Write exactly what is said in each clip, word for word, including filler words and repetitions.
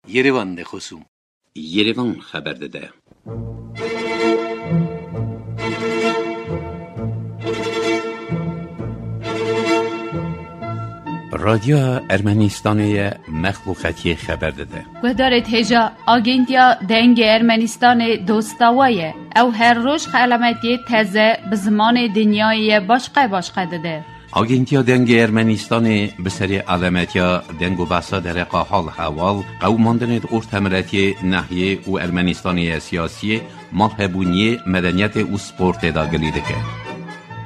Yerevan de xosûm. Yerevan xeber dide. Radyoya Ermenistanê ye, mexluqetiyê xeber dide. Guhdarê hêja, Agentiya Dengê Ermenistanê dosta we ye. Ew her roj xelametiyê teze bi zimanê dinyayê ye başqe başqe dide. Agentiya Dengê Ermenistanê bi serê alemetiya deng û behsa dereqa hal hewal, qewimandinê di ortemiletiyê, nehiyê û Ermenistanê ye siyasiyê, malhebûniyê, medeniyetê û sportê de gilî dike.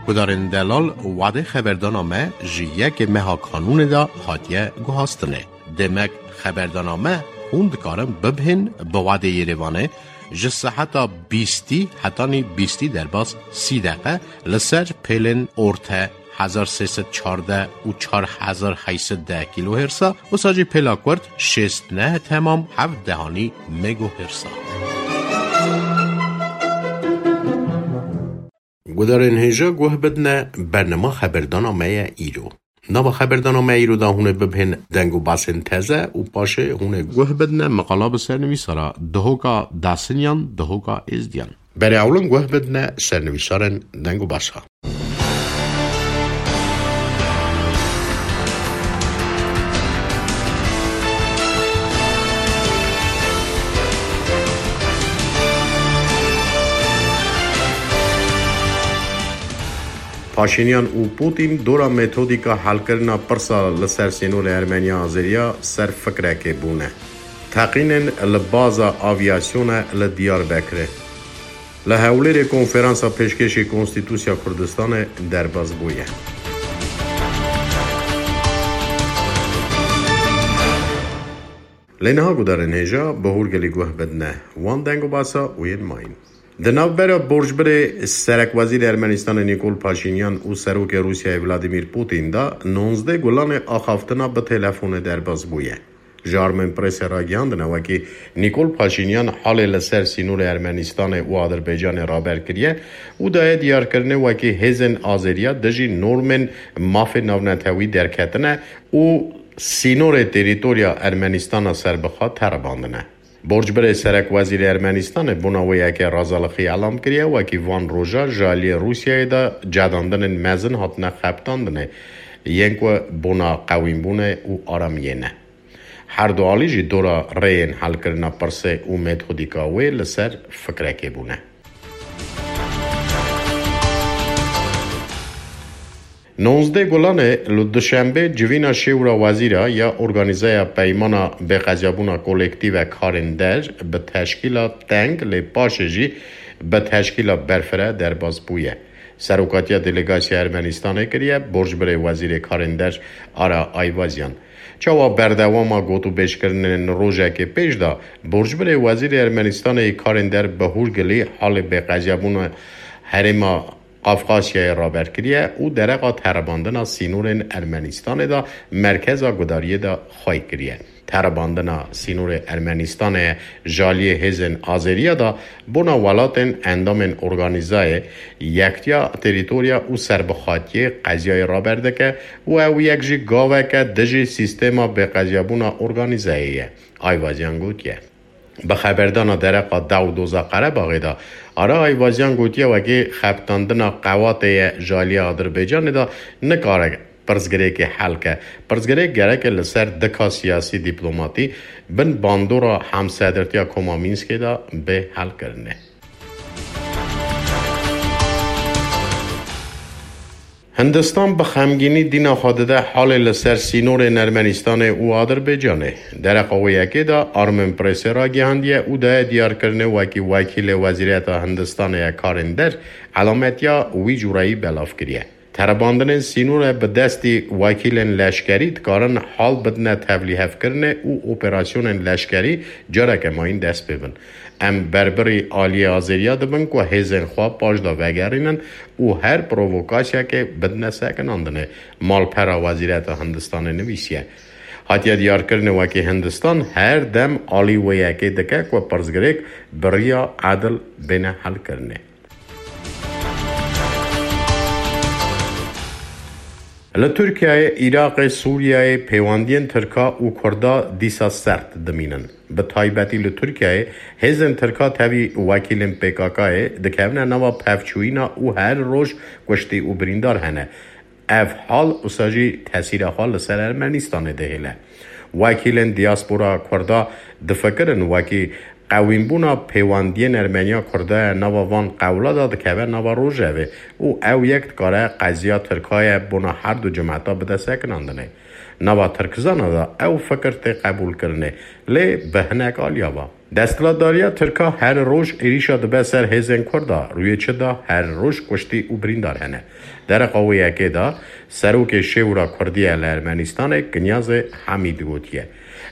Gudarên delal, wadê xeberdana me ji yekê meha kanûnê de hatiye guhastinê. Demek xeberdana me hûn dikarin bibihên bi wadê Yerevanê ji seheta bîstî hetanî bîstî derbas sî deqe li ser pêlên orte hezar sê sed çardeh û çar hezar heyt sed deh kîlohêrsa, wisa jî pêla kurt şêst neh temam heft dehanî megohêrsa. Gudarên hêja guh bidine, bernama xeberdana me ye îro. Nava xeberdana me îro de hûn ê bibihên deng û basên teze û paşê hûn ê guh bidine meqala bi sernivîsara Dihoka Dasinyan, Dihoka Êzdiyan. Berê ewlin guh bidine sernivîsarên deng û basa. Paşînyan û Pûtîn dora metodîka helkirina pirsa li ser sînorê Ermeniya Azeriya ser fikrekê bûne. Teqînên li baza avyasyonê li Diyarbekirê. Li Hewlêrê konferansa pêşkêşî Konstîtusya Kurdistanê derbas bûye. Lê niha gudarên hêja bi hûrgilî guh bidine wan deng û basa û yên mayîn. Di navbera borcbirê serekwezîrê Ermenistanê Nîkol Paşînyan û serokê Rûsyayê Vladimîr Pûtîn de nonzdeh Gulanê axaftina bi telefonê derbas bûye. Ji Armenpressê ragihandine wekî Nîkol Paşînyan halê li ser sînorê Ermenistanê û Adirbaycanê raber kiriye û daye diyarkirinê wekî hêzên Azeriya dijî normên mafê navnetewî derketine û sînorê terîtorya Ermenistana serbixwe teribandine. Borcbirê serekwezîrê Ermenistanê bona wê yekê razalixî elam kiriye, wekî van roja ji aliyê Rûsyayê de cedandinên mezin hatine xebitandinê, yên ku bona qewînbûnê û aramiyê ne. Her du alî jî dora rêyên helkirina pirsê û metodîka wê li ser fikrekê bûne. Nonzdeh Gulanê li Duşenbê civîna şêwra wezîra ya Organîzeya Peymana Bêqezyabûna Kolektîve Karên Der bi teşkîla teng lê paşê jî bi teşkîla berfireh derbas bûye. Serokatiya delegasya Ermenistanê kiriye, borcbirê wezîrê karên der Ara Ayvazyan. Çawa berdewama gotûbêjkirinên rojekê pêş de, borcbirê wezîrê Ermenistanê yê karên der bi hûrgilî halê bêqezyabûna herêma Qafqasyayê raber kiriye û dereqa teribandina sînorên Ermenistanê de merkeza gudariyê de xwey kiriye. Teribandina sînorê Ermenistanê ji aliyê hêzên Azeriya de bona welatên endamên Organîzayê Yektiya Terîtorya û Serbixwatiyê qeziyayê raber dike û ew yek jî gaveke dijî sîstema bêqeziyabûna organîzeyê ye, Ayvazyan gotiye. Bi xeberdana dereqa Dawdoza Qerebaxê de, Ara Ayvazyan gotiye, wekî xebitandina qewatê ye ji aliyê Adirbaycanê de nikare pirsgirêkê hel ke. Pirsgirêk gereke li ser dika siyasî dîplomatî bin bandora hemsedirtiya Koma Mînskê de bê helkirinê. Hindistan bi xemgînî dîna xwe dide halê li ser sînorên Ermenistanê û Adirbaycanê. Dereqa wê yekê de Armenpressê ragihandiye û daye diyarkirinê wekî wekîlê Wezîriyeta Hindistanê ye karên der elametiya wî cûreyî belav kiriye. Teribandinên sînorê bi destî wekîlên leşkerî dikarin hal bidine tevlîhevkirinê û operasyonên leşkerî careke mayîn dest pê bin. Em berbirî aliyê Azeriya dibin ku hêzên xwe paş de vegerînin û her provokasyekê bidine sekinandinê, malpera Wezîreta Hindistanê nivîsiye. Hatiye diyarkirinê wekî Hindistan her dem alî wê yekê dike ku pirsgirêk bi riya edil bêne helkirinê. Li Tirkiyeyê, Iraqê, Sûriyeyê pêwendiyên Tirka û Kurda dîsa sert dimînin. Bi taybetî li Tirkiyeyê hêzên Tirka tevî wekîlên P K K'ê dikevine nava pevçûyîna û her roj kuştî û birîndar hene. Ev hal wisa jî tesîra xwe li ser Ermenîstanê dihêle. Wekîlên diaspora Kurda difikirin wekî qewînbûna pêwendiyên Ermeniya Kurda ya nava van qewla de dikeve nava rojevê û ew yek dikare qeziya Tirka ye bona her du cemeta bide sekinandinê. Nava Tirkizana de ew fikir tê qebûlkirinê, lê bi hinek aliya ve. Desthilatdariya Tirka her roj êrîşa dibe ser hêzên Kurda, rûyê çi de her roj kuştî û birîndar hene. Dereqa wê yekê de Serokê Şêwra Kurdî ye li Ermenîstanê Kinyazê Hemîd gotiye.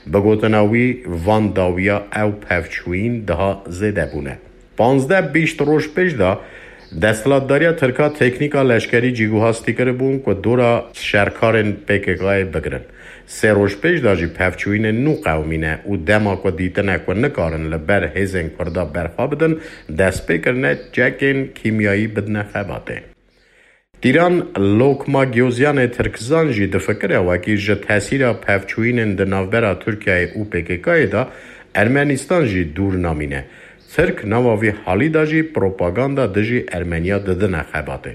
Bi gotina wî, van dawiya ew pevçûyîn daha zêde bûne. Panzdeh bîst roj pêş de desthilatdariya Tirka teknîka leşkerî cîguhastî kiribûn ku dora şerkarên P K K'ê bigirin. Sê roj pêş de jî pevçûyînên nû qewimîne û dema ku dîtine ku nikarin li ber hêzên Kurda berxwe bidin, dest pê kirine çekên kîmyayî bidine xebatê. Tîran Lokma Giyozyanê Tirkizan jî difikire wekî ji tesîra pevçûyînên di navbera Tirkiyeyê û P K K'ê de Ermenîstan jî dûr namîne. Tirk nava vî halî de jî propaganda dijî Ermeniya didine xebatê.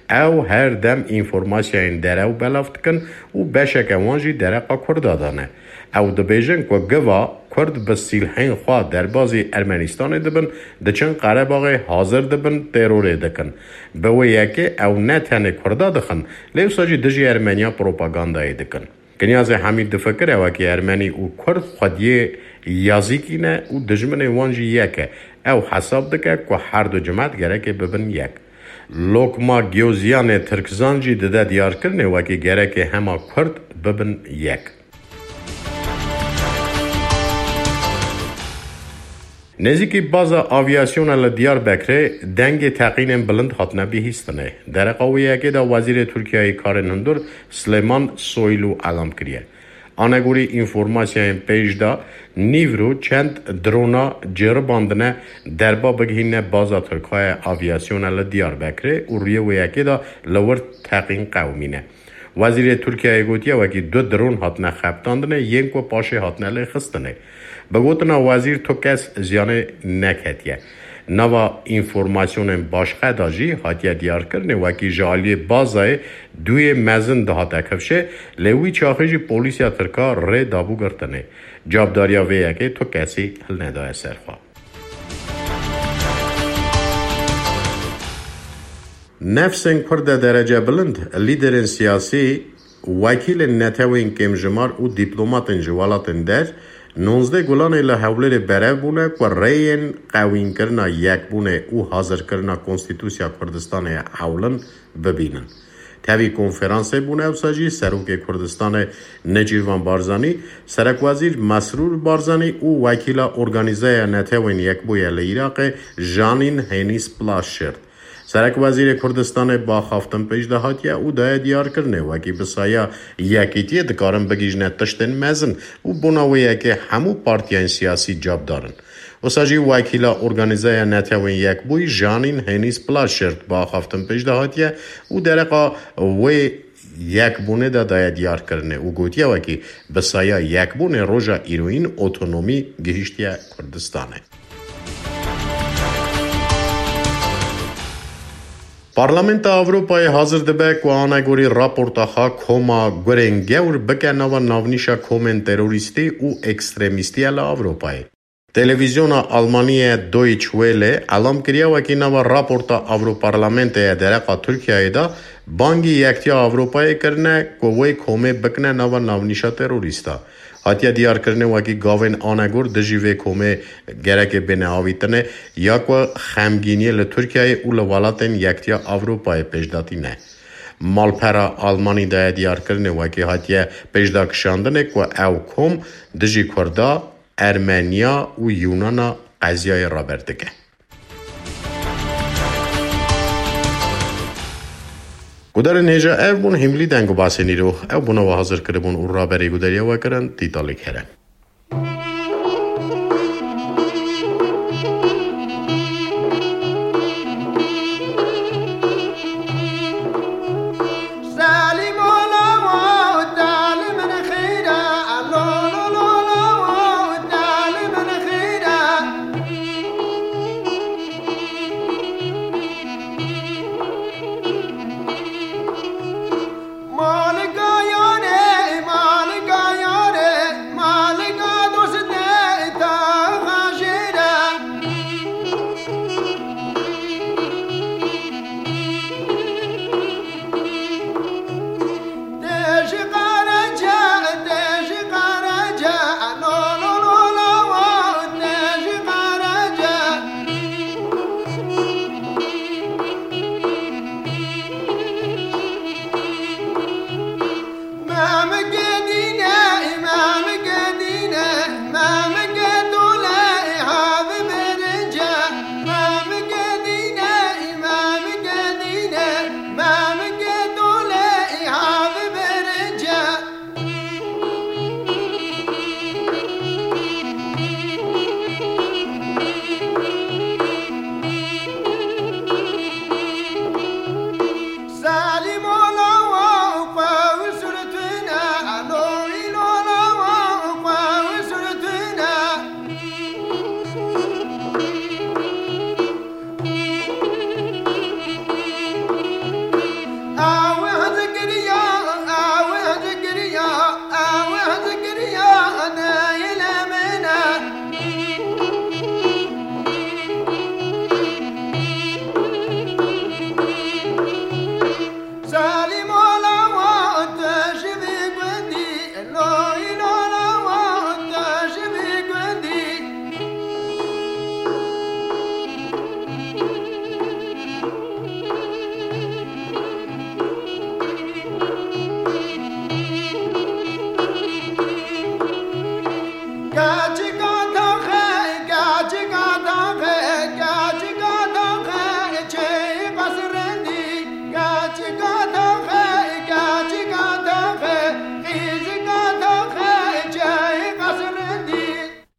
Ew her dem înformasyayên derew belav dikin û beşeke wan jî dereqa Kurda de ne. Ew dibêjin ku giva Kurd bi sîlhên xwe derbazî Ermenîstanê dibin, diçin Qerebaxê hazir dibin terorê dikin. Bi wê yekê ew ne tenê Kurda dixin, lê wisa jî dijî Ermeniya propagandayê dikin. Kinyazê Hemîd difikire wekî Ermenî û Kurd xwediyê yazîkî ne û dijminê wan jî yek e. Ew hesab dike ku her du cimet gereke bibin yek. Lokma Giyozyanê Tirkizan jî dide diyarkirinê wekî gereke hema Kurd bibin yek. Nêzîkî baza avyasyona li Diyarbekirê dengê teqînên bilind hatine bihîstinê. Dereqa wê yekê de Wezîrê Tirkiyeyê Karên Hundir Silêman Soylu elam kiriye. Anegorî înformasyayên pêş de, nîvro çend drona ceribandine derba bigihîne baza Tirka ye avyasyona li Diyarbekirê û rûyê wê yekê de li wir teqîn qewimîne. Wezîrê Tirkiyeyê gotiye wekî du dron hatine xebitandinê, yên ku paşê hatine lêxistinê. Bi gotina wezîr, tu kes ziyanê neketiye. Nava înformasyonên başqe de jî hatiye diyarkirinê wekî ji aliyê bazayê duyê mezin dihate kifşê, lê wî çaxê jî polîsiya Tirka rê dabû girtinê. Cavdariya vê yekê tu kesî hilnedaye ser xwe. Nefsên Kurd de derece bilind, lîderên siyasî, wekîlên netewên kêmjimar û dîplomatên ji welatên der, nonzdeh Gulanê li Hewlêrê berev bûne ku rêyên qewînkirina yekbûnê û hazirkirina Konstîtûsiya Kurdistanê ya hewlin bibînin. Tevî konferansê bûne ewsa jî Serokê Kurdistanê Necîrvan Barzanî, Serekwezîr Mesrûr Barzanî û wekîla Organîzeya Netewên Yekbûye li Iraqê Janîn Hênîs Plaşert. Serekwezîrê Kurdistanê bi axaftin pêş de hatiye û daye diyarkirinê wekî bi saya yekîtiyê dikarin bigihîjine tiştên mezin û bona wê yekê hemû partiyên siyasî cavdar in. Wisa jî wekîla Organîzeya Netewên Yekbûyî Janîn Hênîs Plaşert bi axaftin pêş de hatiye û dereqa wê yekbûnê de daye diyarkirinê û gotiye wekî bi saya yekbûnê roja îroyîn otonomî gihîştiye Kurdistanê. Parlamenta Ewropayê hazir dibe ku anegorî raporta xwe koma gurên gewr bike nava navnîşa komên terorîstî û ekstremîstî ye li Ewropayê. Televîzyona Almanî ye Deutsche Welle elam kiriye wekî nava raporta Ewroparlamentê ye dereqa Tirkiyeyê de bangî Yektiya Ewropayê kirine ku wê komê bikine nava navnîşa terorîsta. Hatiye diyarkirinê wekî gavên anegor dijî vê komê gereke bêne avîtinê ya ku xemgîniyê li Tirkiyeyê û li welatên Yektiya Ewropayê pêşdatî ne. Malpera Almanî daye diyarkirinê wekî hatiye pêşdakişandinê ku ew kom dijî Kurda, Ermeniya û Yûnana qeziyayê raber dike. Gudarên hêja ev bûn hîmlî deng û basên îro. Ew bûne we hazir kiribûn û raberî gudariya we kirin Tîtalî Kerem.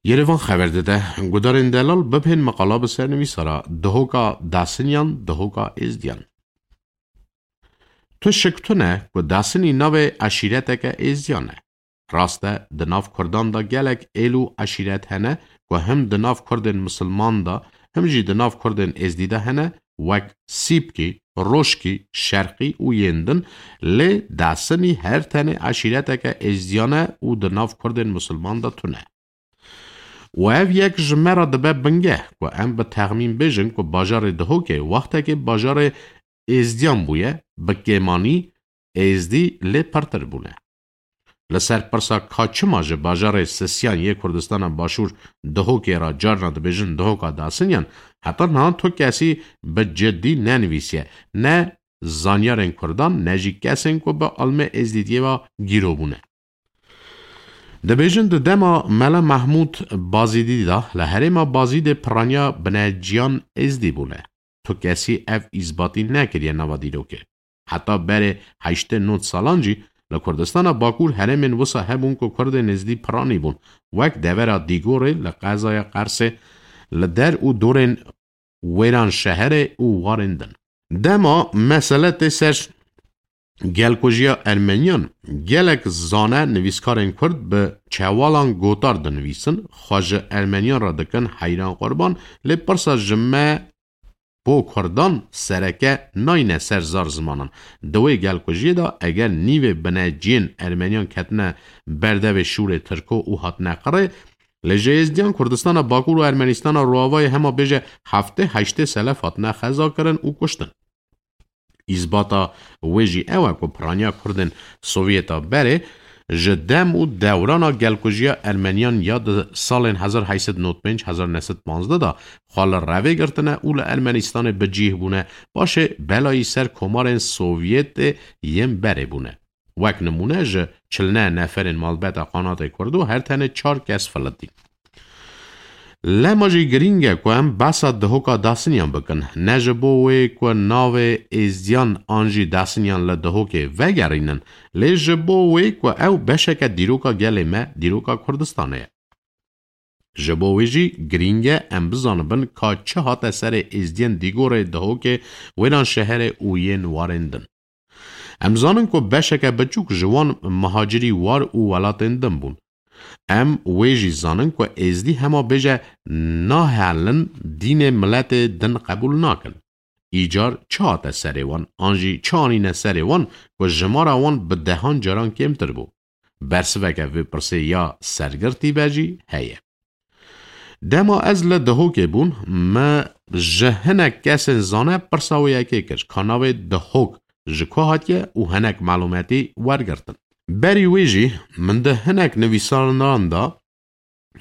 Yerevan xeber dide, gudarên delal bibên meqala bi sernivîsa re, dihoka Dasinyan, dihoka Êzdiyan. Tu şik tune ku Dasinî navê eşîreteke Êzdiyan e. Rast e, di nav Kurdan de gelek êl û eşîret hene ku him di nav Kurdên misilman de, him jî di nav Kurdên Êzdî de hene, wek Sîpkî, Roşkî, Şerqî û yên din, lê Dasinî her tenê eşîreteke Êzdiyan e û di nav Kurdên misilman de tune. Û ev yek ji me re dibe bingeh ku em bi texmîn bêjin ku bajarê Dihokê wextekê bajarê Êzdiyan bûye, bi kêmanî Êzdî lê pirtir bûne. Li ser pirsa ka çima ji bajarê Sisiyan yê Kurdistana Başûr Dihokê re carna dibêjin Dihoka Dasinyan, heta niha tu kesî bi cidî nenivîsiye, ne zanyarên Kurdan, ne jî kesên ku bi ilmê Êzdîtiyê ve gîro bûne. Dibêjin di dema Mela Mehmûd Bazîdî de li herêma Bazîdê piraniya bineciyan Êzdî bûne. Tu kesî ev îsbatî nekiriye nava dîrokê. Heta berê heştê nod salan jî li Kurdistana Bakur herêmên wisa hebûn ku Kurdên Êzdî piranî bûn, wek devera Dîgorê li qezaya Qersê, li der û dorên Wêranşeherê û warên din. Dema mesele tê ser gelkujiya Ermeniyan, gelek zane nivîskarên Kurd bi çewalan gotar dinivîsin, xwe ji Ermeniyan re dikin heyran qurban, lê pirsa ji me bo Kurdan sereke nayne ser zar zimanan. Di wê gelkujiyê de eger nîvê bineciyên Ermeniyan ketine berdevê şûrê Tirko û hatine qirê, lê ji Êzdiyan Kurdistana Bakur û Ermenistana Rojavayê hema bêje heftê heştê selef hatine xezakirin û kuştin. Îsbata wê jî ew e ku piraniya Kurdên Sovyeta berê ji dem û dewrana gelkujiya Ermeniyan ya di salên hezar heşt sed nod pênc hezar neh sed panzdeh de xwe li revê girtine û li Ermenistanê bi cih bûne, paşê belayî ser komarên Sovyetê yên berê bûne. Wek nimûne ji çil neh neferên malbeta Qanatê Kurdo her tenê çar kes filitîn. Lema jî girîng e ku em behsa Dihoka Dasinyan bikin. Ne ji bo wê ku navê Êzdiyan an jî Dasinyan li Dihokê vegerînin, lê ji bo wê ku ew beşeke dîroka gelê me, dîroka Kurdistanê ye. Ji bo wê jî girîng e em bizanibin ka çi hate serê Êzdiyên Dîgorê, Dihokê, Wêranşeherê û yên warên din. Em zanin ku beşeke biçûk ji wan mihacirî war û welatên din bûn. Em wê jî zanin ku Êzdî hema bêje nahelin dînê miletê din qebûl nakin. Îcar çi hate serê wan, an jî çi anîne serê wan ku jimara wan bi dehan caran kêmtir bû? Bersiveke vê pirsê ya sergirtî be jî heye. Dema ez li Dihokê bûm, me ji hinek kesên zane pirsa wê yekê kir, ka navê Dihok ji ku hatiye û hinek malûmetî wergirtin. Berî wê jî min di hinek nivîsanan de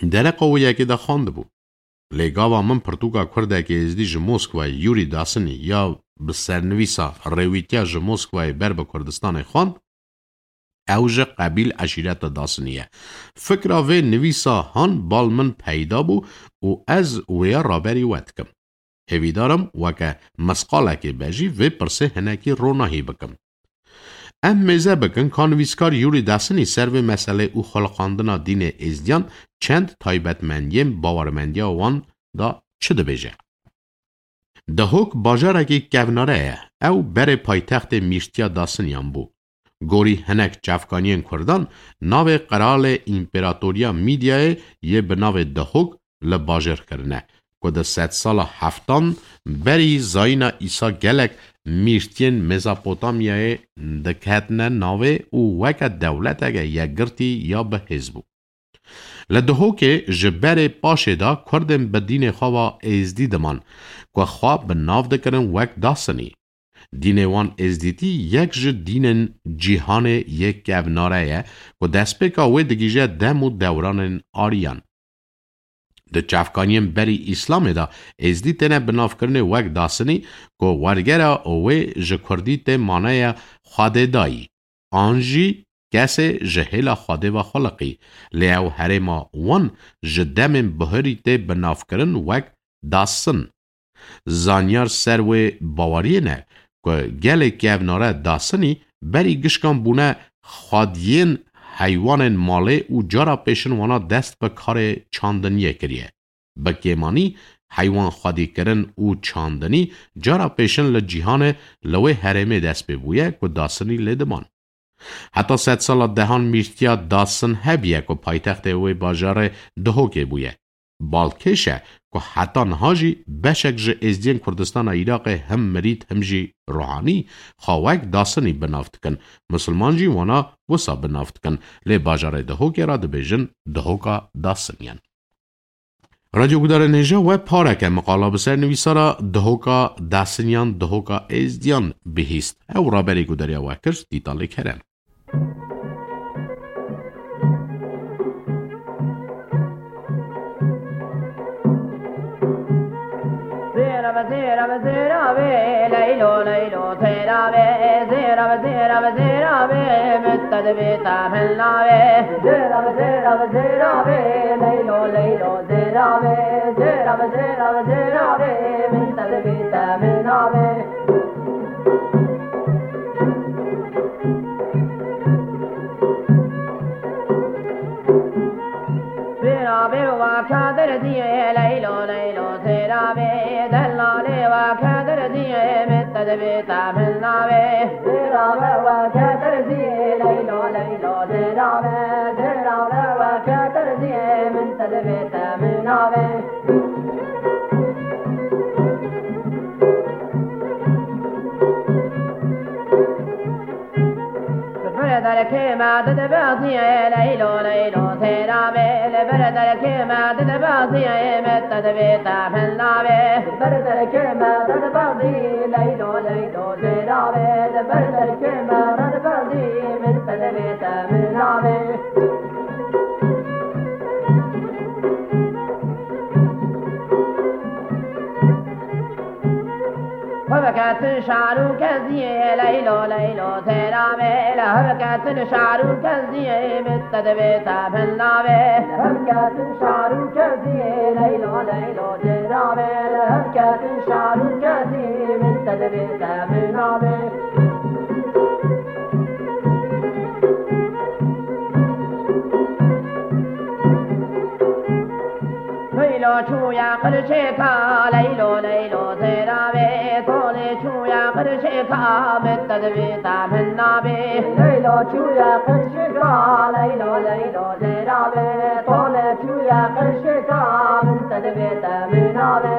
dereqa wê yekê de xwendibû. Lê gava min pirtûka Kurdekî Êzdî ji Moskwayê, Yûrî Dasinî, ya bi sernivîsa Rêwîtiya ji Moskwayê ber bi Kurdistanê xwend, ew ji qebîl eşîreta Dasinî ye. Fikra vê nivîsa han bal min peyda bû û ez wêya raberî we dikim. Hêvîdar im weke misqalekê be jî vê pirsê hinekî ronahî bikim. Em mêze bikin ka nivîskar Yûrî Dasinî ser vê meselê û xweliqandina dînê Êzdiyan çend taybetmendiyên bawermendiya wan de çi dibêje. Dihok bajarekî kevnare ye. Ew berê paytextê Mîrtiya Dasinyan bû. Gorî hinek çavkaniyên Kurdan, navê qiralê Împeratoriya Mîdyayê yê bi navê Dihok li bajêr kirine, ku di sedsala heftan berî zayîna Îsa gelek mîrtiyên Mezopotamyayê diketine navê û weke dewleteke yekgirtî ya bihêz bû. Li Duhokê ji berê paşê de Kurdên bi dînê xwe ve êzdî diman, ku xwe bi nav dikirin wek Dasinî. Dînê wan êzdîtî yek ji dînên cîhanê yê kevnare ye, ku destpêka wê digihîje dem û dewranên Aryan. Di çavkaniyên berî Îslamê de êzdî têne binavkirinê wek Dasinî, ku wergera wê ji kurdî tê manaya Xwedêdayî, an jî kesê ji hêla Xwedê ve xuliqî, lê ew herêma wan ji demên buhirî tê binavkirin wek Dasin. Zanyar ser wê baweriyê ne ku gelê kevnare Dasinî berî gişkan bûne xwediyên heywanên malê û cara pêşin wana dest bi karê çandiniyê kiriye. Bi kêmanî heywan xwedîkirin û çandinî cara pêşin li cîhanê li wê herêmê dest pê bûye ku Dasinî lê diman. Heta sedsala dehan mîrtiya Dasin hebiye ku paytextê wê bajarê Duhokê bûye. Balkêş e ku heta niha jî beşek ji êzdiyên Kurdistana Iraqê him mirît him jî ruhanî xwe wek Dasinî bi nav dikin. Misilman jî wana wisa bi nav dikin. Lê bajarê Duhokê re dibêjin Duhoka Dasiniyan. Radyo gudarên hêja we pareke miqala bi ser nivîsara Duhoka Dasiniyan, Duhoka Êzdiyan bihîst. Ew raberê gudariya we kir, Dîtalê Kerem. Zêra be, zêra be, zêra be, leylo, leylo, zêra be, zêra be, zêra be, zêra be, min te divê te min navê. Zêra be, zêra be, zêra be, leylo, leylo, zêra be, zêra be, zêra be, zêra be, min te divê te min navê. Zêra be wa kadir diye, leylo, leylo, zêra be, dellalê wa kadir diye, min te divê te min navê. Zêra be wa kadir diye, leylo, leylo, zêra be, zêra be wa kadir diye, min te divê te min navê. Li ber derkê me dide baziyê, leylo, leylo, zêra be. Li ber derkê me dide baziyê, min te divê te min navê. Li ber derkê me dide baziyê, leylo, leylo, zêra be. Li ber derkê me dide baziyê, min te divê te min navê. Hevketin şar û keziyê, leylo, leylo, zêra be. Hevketin şar û keziyê, min te divê te min navê. Hevketin şar û keziyê, leylo, leylo, zêra be. Hevketin şar û keziyê, min te divê te min navê. Leylo çûye qirşêka, leylo, leylo, zêra be. Tolê çûye qirşêka, min te divê te min navê. Leylo çûye qirşêka, leylo, leylo, zêra be. Tolê çûye qirşêka, min te divê te min navê.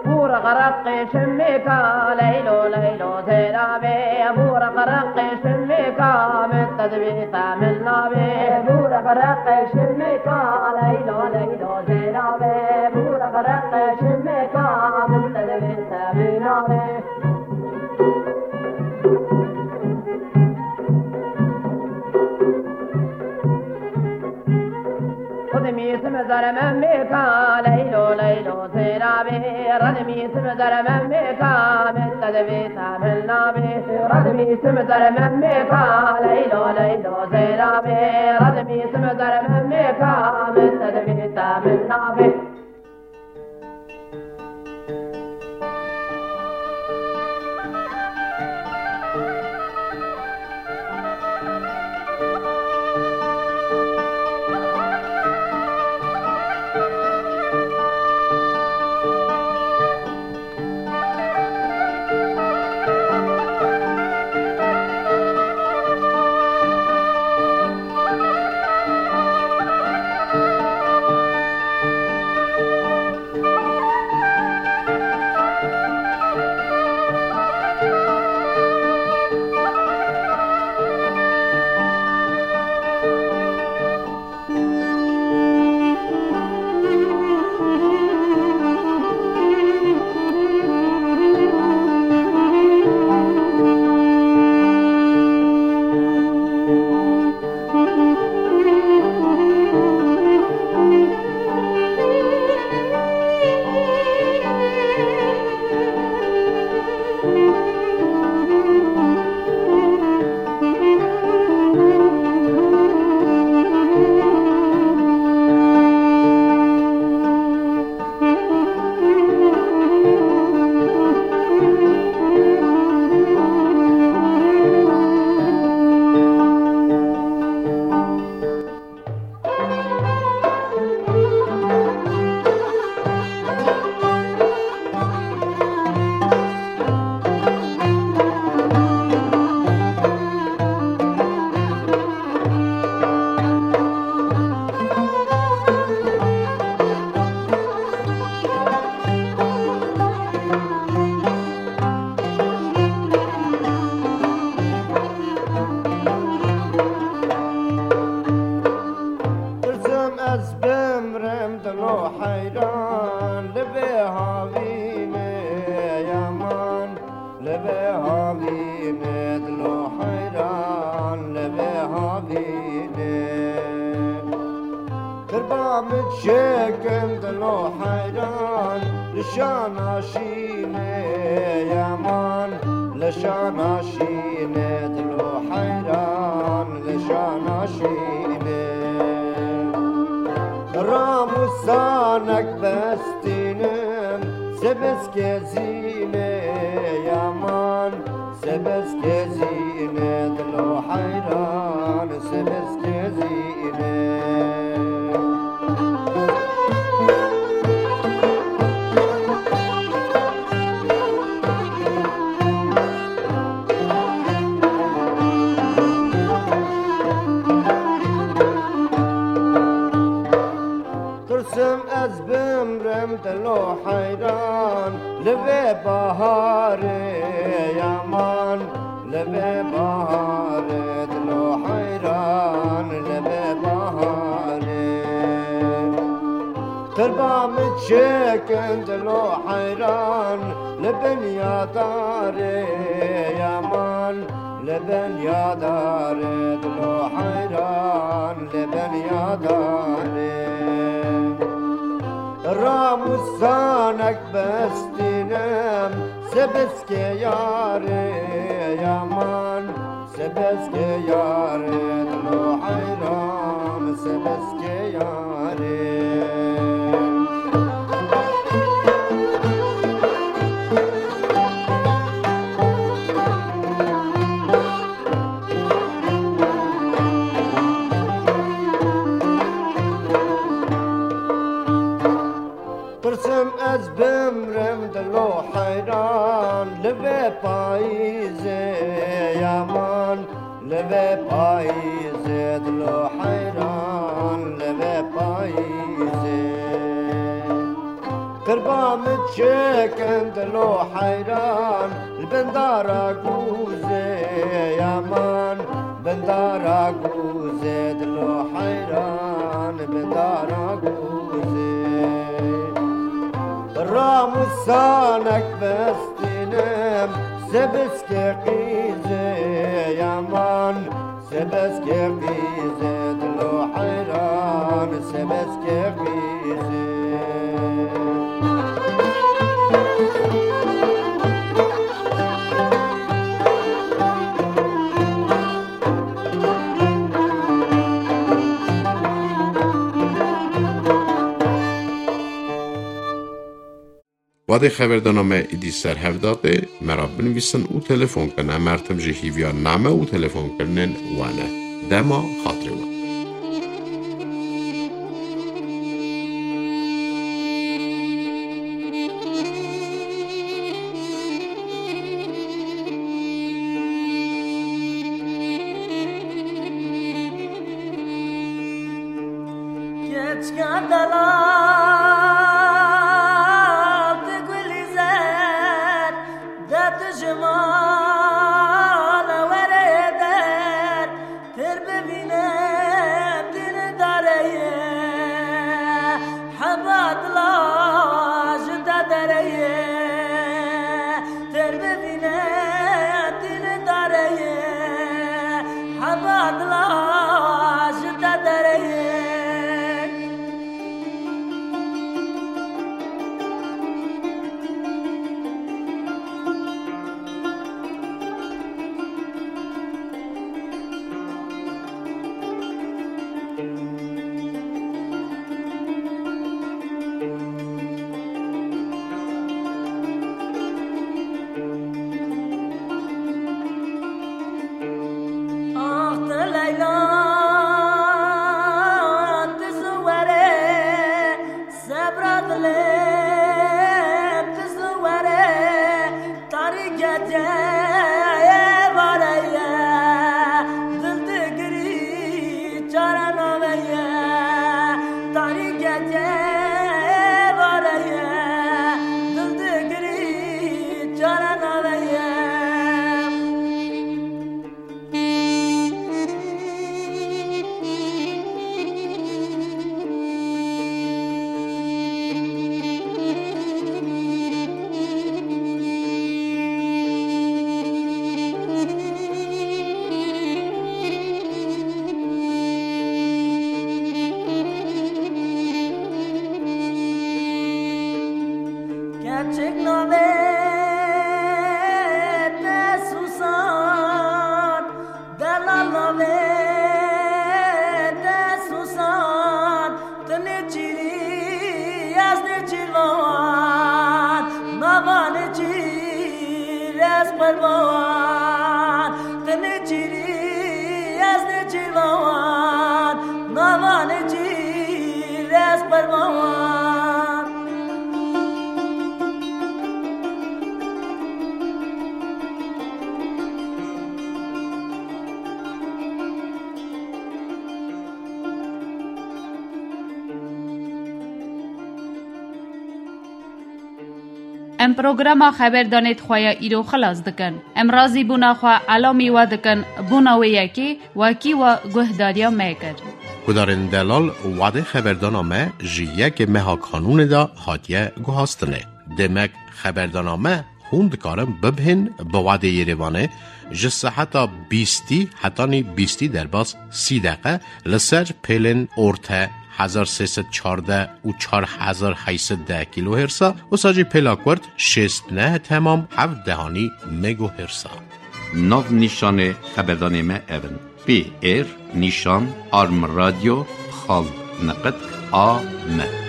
Bûr xerqê şimêka, leylo, leylo, zêra be. Bûr xerqê şimêka, min te divê te min navê. Bûr xerqê şimêka, leylo, leylo, zêra be. Bûr xerqê şimêka, min te divê te min navê. Xwedê mîsim zerme mêka, leylo, leylo, zêra be. Xwedê mîsim zerme mêka, min te divê te min navê. Xwedê mîsim zerme mêka, leylo, leylo, zêra be. Xwedê mîsim zerme mêka, min te divê te min navê. Çekin dilo heyran, li şana şînê yaman, li şana şînê dilo heyran, li şana şînê. Ramûsanek bestînim, sebiskê zînê yaman, sebiskê zînê dilo heyran, sebiskê zînê. Tirsim ez bimrim dilo heyran, li vê baharê yaman, li vê baharê dilo heyran, li vê baharê. Qirba min çekin dilo heyran, li bin ya darê yaman, li bin ya darê dilo heyran, li bin ya darê. Ramûsanek bestînim, sebiskê yarê yaman, sebiskê yarê dilo heyran, sebiskê yarê. Pirsim ez bimrim dilo heyran, li vê payîzê yaman, li vê payîzê dilo heyran, li vê payîzê. Qirba min çekin dilo heyran, li bin dara gûzê yaman, bin dara gûzê dilo heyran, bin dara gûzê. Ramûsanek bestînim, sebiskê qîzê yaman, sebiskê qîzê dilo heyran, sebiskê qîzê. Wadê xeberdana me îdî ser hev datê, me re binivîsin û telefon kin. Em her tim ji hîviya name û telefonkirinên we ne. Dema xatirê we. Keçika delal, tu gulî zer, de tu ji mal were der, tir bivîne dîn dareye, heba dila ji te dereye. Ter bivîne dîn dareye, heba dila ji te dereye. Ax tu Leyla, tu zû were, sebra dilê, tu zû were, tarîketê vare ye, dil digirî çare naveye, tarîketê vare ye, dil digirî çare naveye. Navê te Susan, delal navê te Susan, tu nêçîrî ez nêçîrvan, nava nêçîr ez qurban, tu nêçîrî ez nêçîrvan, nava nêçîr ez qurban. Em programa xeberdanê di xwe ya îro xilas dikin. Em razîbûna xwe elamî we dikin, bûna wê yekê wekî we guhdariya me kir. Guhdarên delal, wadê xeberdana me ji yekê meha kanûnê de hatiye guhastinê. Demek xeberdana me hûn dikarin bibihên bi wadê Yerêvanê ji seheta bîstî hetanî bîstî derbas sî deqe li ser pêlên orte hezar sê sed çardeh û çar hezar heyt sed deh kilohersa, wisa jî pêla kurt şêst neh temam heft dehanî megohersa. Nav nîşanê xeberdanê me ev in: P R nîşan arm radio xal neqet A M.